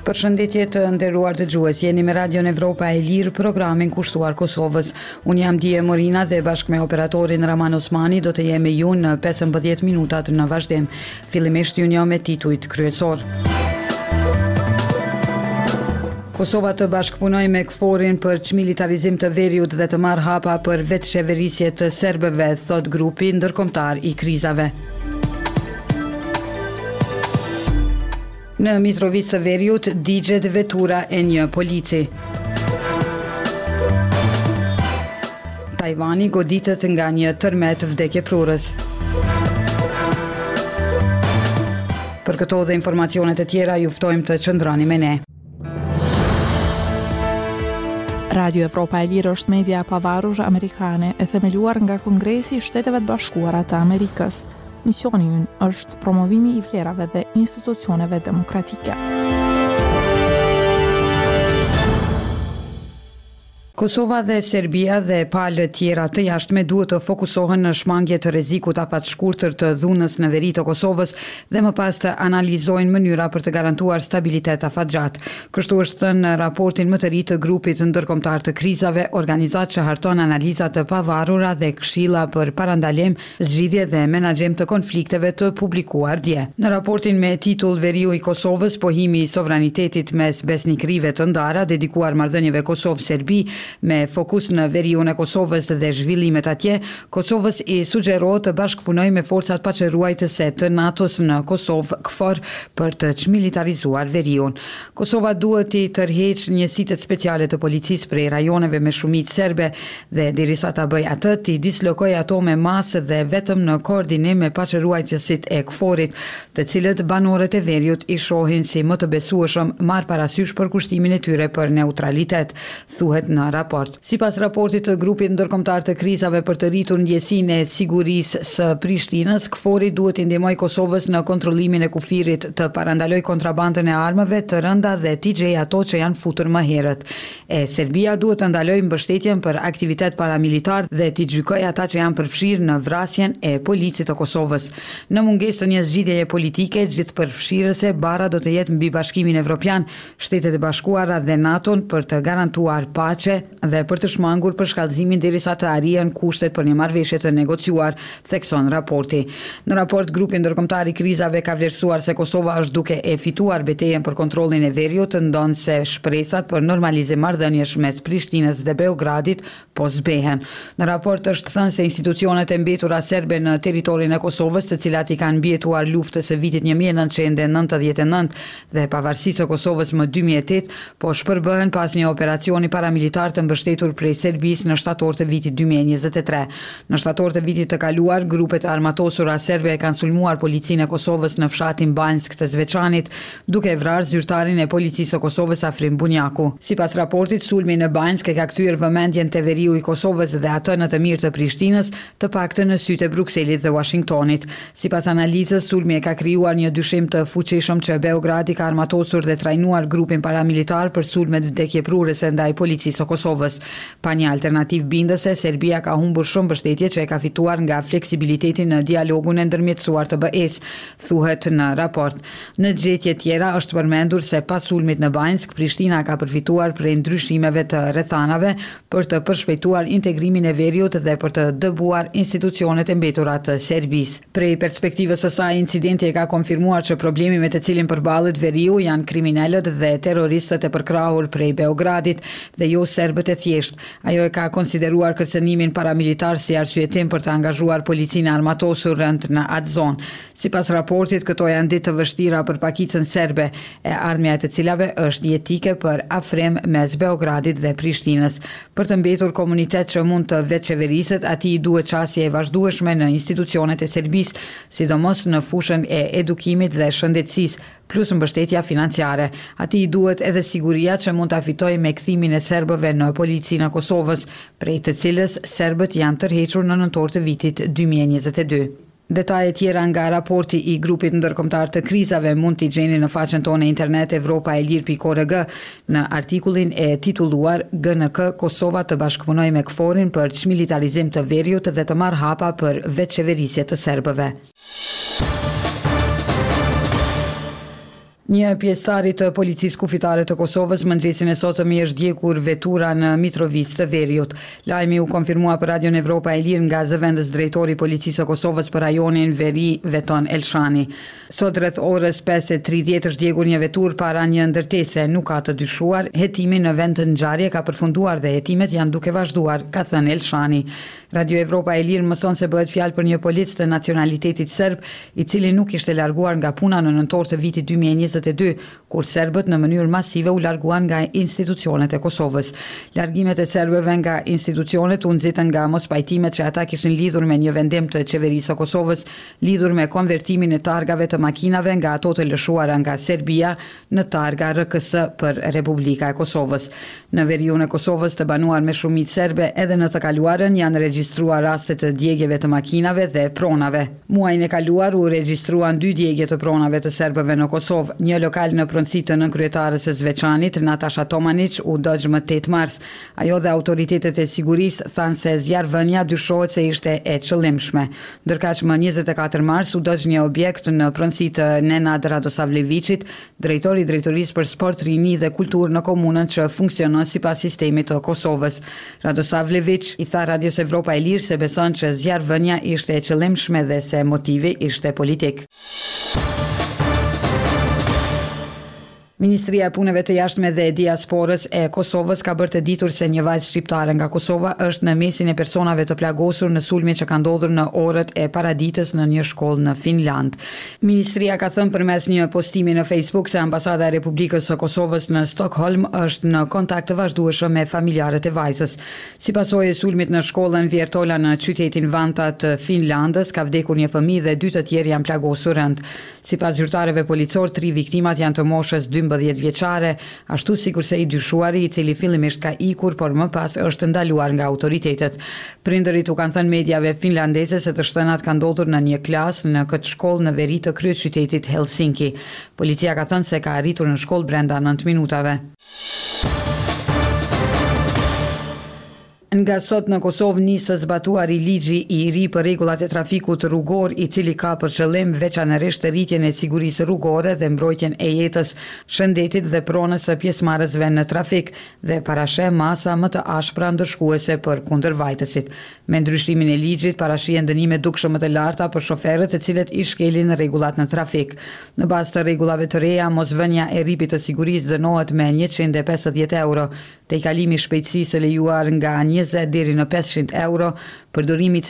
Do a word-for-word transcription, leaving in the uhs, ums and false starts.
Përshëndetje të nderuar dëgjues, jeni me Radion Evropa e Lirë, programin kushtuar Kosovës. Unë jam Dije Morina dhe bashkë me operatorin Raman Osmani do të jem me ju në pesëmbëdhjetë minutat në vazhdim. Fillimisht ju njoh me titujt kryesor. Kosova të bashkëpunojë me KFOR-in për çmilitarizim të veriut dhe të marrë hapa për vetëqeverisje të serbëve, thotë grupi ndërkombëtar i krizave. Në Mitrovicë të Veriut digjet vetura e një polici. Tajvani goditet nga një tërmet vdekjeprurës. Për këto dhe informacione të tjera ju ftojmë të qëndroni me ne. Radio Evropa e Lirë është media e pavarur amerikane e themeluar nga Kongresi i Shteteve të Bashkuara të Amerikës. Misioni ynë është promovimi i vlerave dhe institucioneve demokratike. Kosova dhe Serbia dhe palët tjera të jashtme duhet të fokusohen në shmangie të rrezikut afatshkurtër të dhunës në veri të Kosovës dhe më pas të analizojnë mënyra për të garantuar stabilitet afatgjatë. Kështu është thënë në raportin më të ri të Grupit Ndërkombëtar të Krizave, organizatë që harton analiza të pavarura dhe këshilla për parandalim, zgjidhje dhe menaxhim të konflikteve të publikuar dje. Në raportin me titull Veriu i Kosovës, pohimi i sovranitetit mes besnikërive të ndara, dedikuar marrëdhënieve Kosovë-Serbi, me fokus në veriun e Kosovës dhe zhvillimet atje, Kosovës i sugjerohet të bashkëpunojë me forcat paqeruajtëse të NATO-s në Kosovë, KFOR, për të çmilitarizuar veriun. Kosova duhet t'i tërheqë njësitet speciale të policisë prej rajoneve me shumicë serbe dhe derisa ta bëjë atë, t'i dislokojë ato me masë dhe vetëm në koordinim me paqeruajtësit e KFOR-it, të cilët banorët e veriut i shohin si më të besueshëm, marrë parasysh përkushtimin e tyre për neutralitet, thuhet në raport. Sipas raportit të Grupit Ndërkombëtar të Krizave për të rritur ndjesinë e sigurisë së Prishtinës, KFOR-i duhet t'i ndihmojë Kosovës në kontrollimin e kufirit, të parandalojë kontrabandën e armëve të rënda dhe t'i gjejë ato që janë futur më herët. E Serbia duhet të ndalojë mbështetjen për aktivitet paramilitar dhe t'i gjykojë ata që janë përfshirë në vrasjen e policit të Kosovës. Në mungesë të një zgjidhjeje politike gjithëpërfshirëse, barra do të jetë mbi Bashkimin Evropian, Shtetet e Bashkuara dhe NATO-n për të garantuar paqe dhe për të shmangur përshkallëzimin derisa të arrihen kushtet për një marrëveshje të negociuar, thekson raporti. Në raport, Grupi Ndërkombëtar i Krizave ka vlerësuar se Kosova është duke e fituar betejën për kontrollin e veriut, ndonëse shpresat për normalizim marrëdhëniesh mes Prishtinës dhe Beogradit po zbehen. Në raport është thënë se institucionet e mbetura serbe në territorin e Kosovës, të cilat i kanë mbijetuar luftës së vitit një mijë e nëntëqind e nëntëdhjetë e nëntë dhe pavarësisë së Kosovës më dy mijë e tetë, po shpërbëhen pas një operacioni paramilitar të mbështetur prej Serbisë në shtator të vitit dy mijë e njëzet e tre. Në shtator të vitit të kaluar, grupe të armatosura serbe e kanë sulmuar policinë e Kosovës në fshatin Banjskë të Zveçanit, duke e vrarë zyrtarin e Policisë së Kosovës Afrim Bunjaku. Sipas raportit, sulmi në Banjskë e ka kthyer vëmendjen te veriu i Kosovës dhe atë në të mirë të Prishtinës, të paktën në sytë e Brukselit dhe Uashingtonit. Sipas analizës, sulmi e ka krijuar një dyshim të fuqishëm që Beogradi ka armatosur dhe trajnuar grupin paramilitar për sulmet vdekjeprurëse ndaj Policisë së Kosovës. Pa një alternativë bindëse, Serbia ka humbur shumë mbështetje që e ka fituar nga fleksibiliteti në dialogun e ndërmjetësuar të B E-së, thuhet në raport. Në gjetje tjera është përmendur se pas sulmit në Banjskë, Prishtina ka përfituar prej ndryshimeve të rrethanave për të përshpejtuar integrimin e veriut dhe për të dëbuar institucionet e mbetura të Serbisë. Prej perspektivës së saj, incidenti e ka konfirmuar që problemi me të cilin përballet veriu janë kriminelët dhe terroristët e përkrahur prej Beogradit dhe jo serbët e thjeshtë. Ajo e ka konsideruar kërcënimin paramilitar si arsyetim për të angazhuar policinë e armatosur rëndë në atë zonë. Sipas raportit, këto janë ditë të vështira për pakicën serbe, e ardhmja e të cilave është jetike për afrim mes Beogradit dhe Prishtinës. Për të mbetur komunitet që mund të vetëqeveriset, atij i duhet qasje e vazhdueshme në institucionet e Serbisë, sidomos në fushën e edukimit dhe shëndetësisë, plus mbështetja financiare. Atij i duhet edhe siguria që mund ta fitojë me kthimin e serbëve në Policinë e Kosovës, prej të cilës serbët janë tërhequr në nëntor të vitit dy mijë e njëzet e dy. Detaje tjera nga raporti i Grupit Ndërkombëtar të Krizave mund t'i gjeni në faqen tonë internet evropa e lirë pikë org në artikullin e titulluar G N K Kosova të bashkëpunojë me KFOR-in për çmilitarizim të veriut dhe të marrë hapa për vetëqeverisje të serbëve. Një pjesëtari të Policisë Kufitare të Kosovës mëngjesin e sotëm i është djegur vetura në Mitrovicë të Veriut. Lajmi u konfirmua për Radion Evropa e Lirë nga zëvendës drejtori i Policisë së Kosovës për rajonin Veri, Veton Elshani. Sot rreth orës pesë e tridhjetë është djegur një veturë para një ndërtese, nuk ka të dyshuar, hetimi në vend të ngjarje ka përfunduar dhe hetimet janë duke vazhduar, ka thënë Elshani. Radio Evropa e Lirë mëson se bëhet fjalë për një polic të nacionalitetit serb, i cili nuk ishte larguar nga puna në nëntor të vitit dy mijë e njëzet e dy, kur serbët në mënyrë masive u larguan nga institucionet e Kosovës. Largimet e serbëve nga institucionet u nxitën nga mospajtimet që ata kishin lidhur me një vendim të qeverisë së Kosovës lidhur me konvertimin e targave të makinave nga ato të lëshuara nga Serbia në targa R K S për Republika e Kosovës. Në veriun e Kosovës të banuar me shumicë serbe edhe në të kaluarën janë regjistruar raste të djegjeve të makinave dhe pronave. Muajin e kaluar u regjistruan dy djegje të pronave të serbëve në Kosovë. Një lokal në pronësi të nënkryetares së Zveçanit, Natasha Tomanić, u dogj më tetë mars. Ajo dhe autoritetet e sigurisë thanë se zjarrvënia dyshohet se ishte e qëllimshme. Ndërkaq më njëzet e katër mars u dogj një objekt në pronësi të Nenad Radosavleviqit, drejtor i Drejtorisë për Sport, Rini dhe Kulturë në komunën që funksionon sipas sistemit të Kosovës. Radosavleviq i tha Radios Evropa e Lirë se beson që zjarrvënia ishte e qëllimshme dhe se motivi ishte politik. Ministria e Punëve të Jashtme dhe Diasporës e Kosovës ka bërë të ditur se një vajzë shqiptare nga Kosova është në mesin e personave të plagosur në sulmin që ka ndodhur në orët e paraditës në një shkollë në Finland. Ministria ka thënë përmes një postimi në Facebook se ambasada e Republikës së Kosovës në Stockholm është në kontakt të vazhdueshëm me familjarët e vajzës. Si pasojë e sulmit në shkollën Viertola në qytetin Vanta të Finlandës ka vdekur një fëmijë dhe dy të tjerë janë plagosur rënd. Sipas zyrtarëve policor, tri viktimat janë të moshës dymbëdhjetë vjeçare, ashtu sikurse i dyshuari i cili fillimisht ka ikur, por më pas është ndaluar nga autoritetet. Prindërit u kanë thënë mediave finlandeze se të shtënat kanë ndodhur në një klasë në këtë shkollë në veri të kryeqytetit Helsinki. Policia ka thënë se ka arritur në shkollë brenda nëntë minutave. Nga sot në Kosovë nis së zbatuari ligji i ri për rregullat e trafikut rrugor, i cili ka për qëllim veçanërisht rritjen e sigurisë rrugore dhe mbrojtjen e jetës, shëndetit dhe pronës së pjesëmarrësve në trafik dhe parasheh masa më të ashpra ndëshkuese për kundërvajtësit. Me ndryshimin e ligjit parashihen dënime dukshëm më të larta për shoferët të cilët i shkelin rregullat në trafik. Në bazë të rregullave të reja, mosvënia e rripit të sigurisë dënohet me njëqind e pesëdhjetë euro, tejkalimi i shpejtësisë së lejuar nga njëzet deri në pesëqind euro, përdorimi i